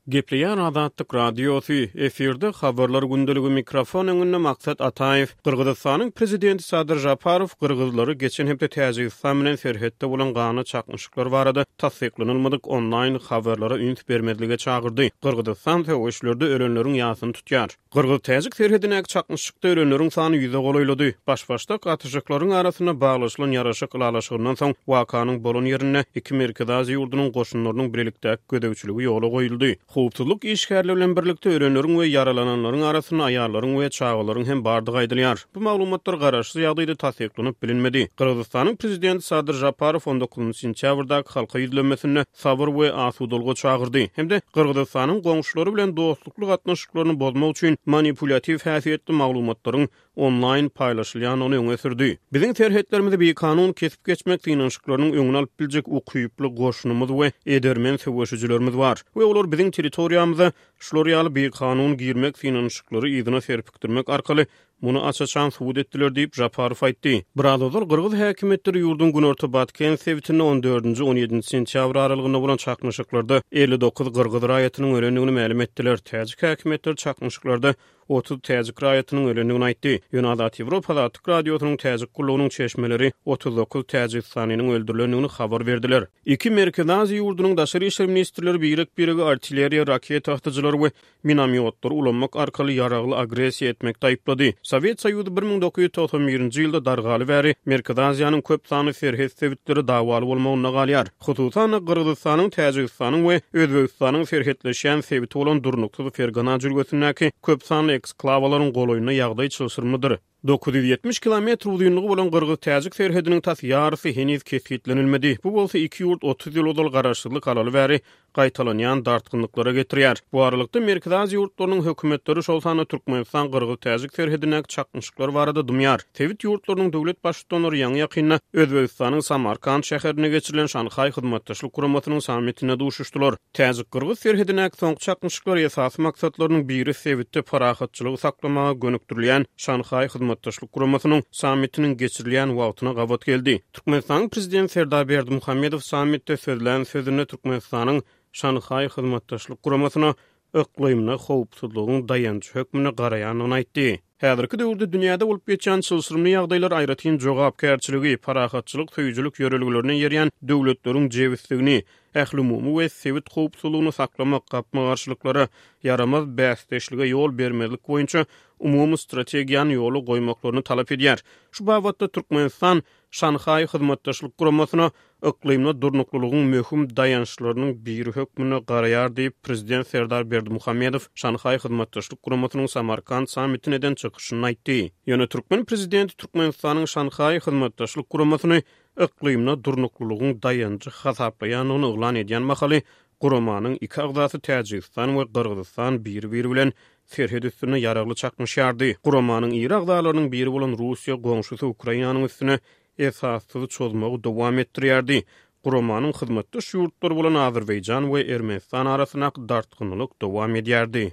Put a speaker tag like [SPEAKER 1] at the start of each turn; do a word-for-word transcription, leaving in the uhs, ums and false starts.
[SPEAKER 1] Gepleýär Azatlyk Radiosy, efirde Habarlar gündeligi, mikrofon öňünde Maksat Ataýew. Gyrgyzystanyň prezidenti Sadyr Žaparow gyrgyzlary geçen hepde Täjigistan bilen serhetde bolan ganly çaknyşyklar barada tassyklanylmadyk onlaýn habarlara üns bermezlige çagyrdy. Gyrgyzystan söweşlerde ölenleriň ýasyny tutýar. Gyrgyz-täjik serhedindäki çaknyşykda ölenleriň sany ýüze golaýlady. Baş-başdak atyşyklaryň arasynda baglaşylan ýaraşyk ylalaşygyndan soň wakanyň bolan ýerinde iki Merkezi Aziýa ýurdunyň goşunlarynyň bilelikdäki gözegçiligi ýola goýuldy. Howpsuzlyk işgärleri bilen birlikde ölenleriň we ýaralananlaryň arasynda aýallaryň we çagalaryň hem bardygy aýdylýar. Bu maglumatlar garaşsyz ýagdaýda tassyklanyp bilinmedi. Gyrgyzystanyň prezidenti Sadyr Žaparow on dokuzynjy sentýabrdaky halka ýüzlenmesinde sabyr we asudalyga çagyrdy hem-de Gyrgyzystanyň goňşulary bilen dostlukly gatnaşyklaryny bozmak üçin manipulýatiw häsiýetli maglumatlaryň onlaýn paýlaşylýandygyny öňe sürdi. Biziň serhetlerimizi bikanun kesip geçmek synanyşyklarynyň öňüni alyp biljek ukyply goşunymyz we edermen söweşijilerimiz bar we olar biziň territoriýamyza şular ýaly bikanun girmek synanyşyklary yzyna serpikdirmek arkaly muny aç-açan subut etdiler diýip, Žaparow aýtdy. Biraz ozal gyrgyz häkimiýetleri ýurduň günorta Batken sebitinde on dördünji, on ýedinji sentýabr aralygynda bolan çaknyşyklarda elli dokuz gyrgyz raýatynyň ölendigini mälim etdiler. Täjik häkimiýetleri çaknyşyklarda otuz täjik raýatynyň ölendigini aýtdy. Ýöne Azat Ýewropa Azatlyk Radiosynyň täjik gullugynyň çeşmeleri otuz dokuz täjigistanynyň öldürilendigini habar berdiler. Iki Merkezi Aziýa ýurdunyň daşary işler ministrleri birek-birege artilleriýa, raketa atyjylary we minomýotlary ulanmak arkaly ýaragly agressiýa etmekde aýyplady. Sowet Soýuzy bir müň dokuz ýüz togsan birinji ýylda dargaly bäri Merkezi Aziýanyň köp sanly serhet sebitleri dawaly bolmagynda galýar. Hususan-da, Gyrgyzystanyň, Täjigistanyň we Özbegistanyň serhetleşýän sebiti bolan durnuksyz Fergana jülgesindäki köp sanly eksklawalaryň golaýynda ýagdaý çylşyrymlydyr. Dokuz ýüz ýetmiş kilometr uzynlygy bolan gyrgyz-täjik serhediniň tas ýarysy heniz kesgitlenilmedi. Bu bolsa iki ýurt otuz ýyl ozal garaşsyzlyk alaly bäri gaýtalanýan dartgynlyklara getirýär. Bu aralykda Merkezi Aziýa ýurtlarynyň hökümetleri, şol sanda Türkmenistan gyrgyz-täjik serhedindäki çaknyşyklar barada dymýar. Sebit ýurtlarynyň döwlet baştutanlary ýaňy-ýakynda Özbegistanyň Samarkand şäherinde geçirilen Şanhaý Hyzmatdaşlyk Guramasynyň sammitinde duşuşdylar. Täjik-gyrgyz serhedindäki soňky çaknyşyklar esasy maksatlarynyň biri sebitde parahatçylygy saklamaga gönükdirilýän Şanhaý Hyzmatdaşlyk Guramasynyň sammitiniň geçirilýän wagtyna gabat geldi. Türkmenistanyň prezidenti Serdar Berdimuhamedow sammitde sözlän sözünde Türkmenistanyň Şanhaý Hyzmatdaşlyk Guramasyna yklymda howpsuzlygyň daýanjy hökmünde garaýandygyny aýtdy. Häzirki döwürde dünýäde bolup geçýän çylşyrymly ýagdaýlar aýratyn jogapkärçiligi, parahatçylyk söýüjilik ýörelgelerine eýerýän döwletleriň jebisligini, ählumumy we sebit howpsuzlygyny saklamak, gapma-garşylyklara, ýaramaz bäsdeşlige ýol bermezlik boýunça umumy strategiýany ýola goýmaklaryny talap edýär. Şu babatda Türkmenistan Şanhaý Hyzmatdaşlyk Guramasyna yklymda durnuklylygyň möhüm daýançlarynyň biri hökmünde garaýar diýip, prezident Serdar Berdimuhamedow Şanhaý Hyzmatdaşlyk Guramasynyň Samarkand sammitine eden çykyşynda aýtdy. Ýöne türkmen prezidenti Türkmenistanyň Şanhaý Hyzmatdaşlyk Guramasyny yklymda durnuklylygyň daýanjy hasaplaýandygyny yglan edýän mahaly guramanyň iki agzasy Täjigistan we Gyrgyzystan biri-biri bilen serhet üstünde ýaragly çaknyşýardy. Guramanyň iri agzalarynyň biri bolan Russiýa goňşusy Ukrainanyň üstüne esassyz çozmagy dowam etdirýärdi. Guramanyň hyzmatdaş ýurtlary bolan Azerbaýjan we Ermenistan arasyndaky dartgynlyk dowam edýärdi.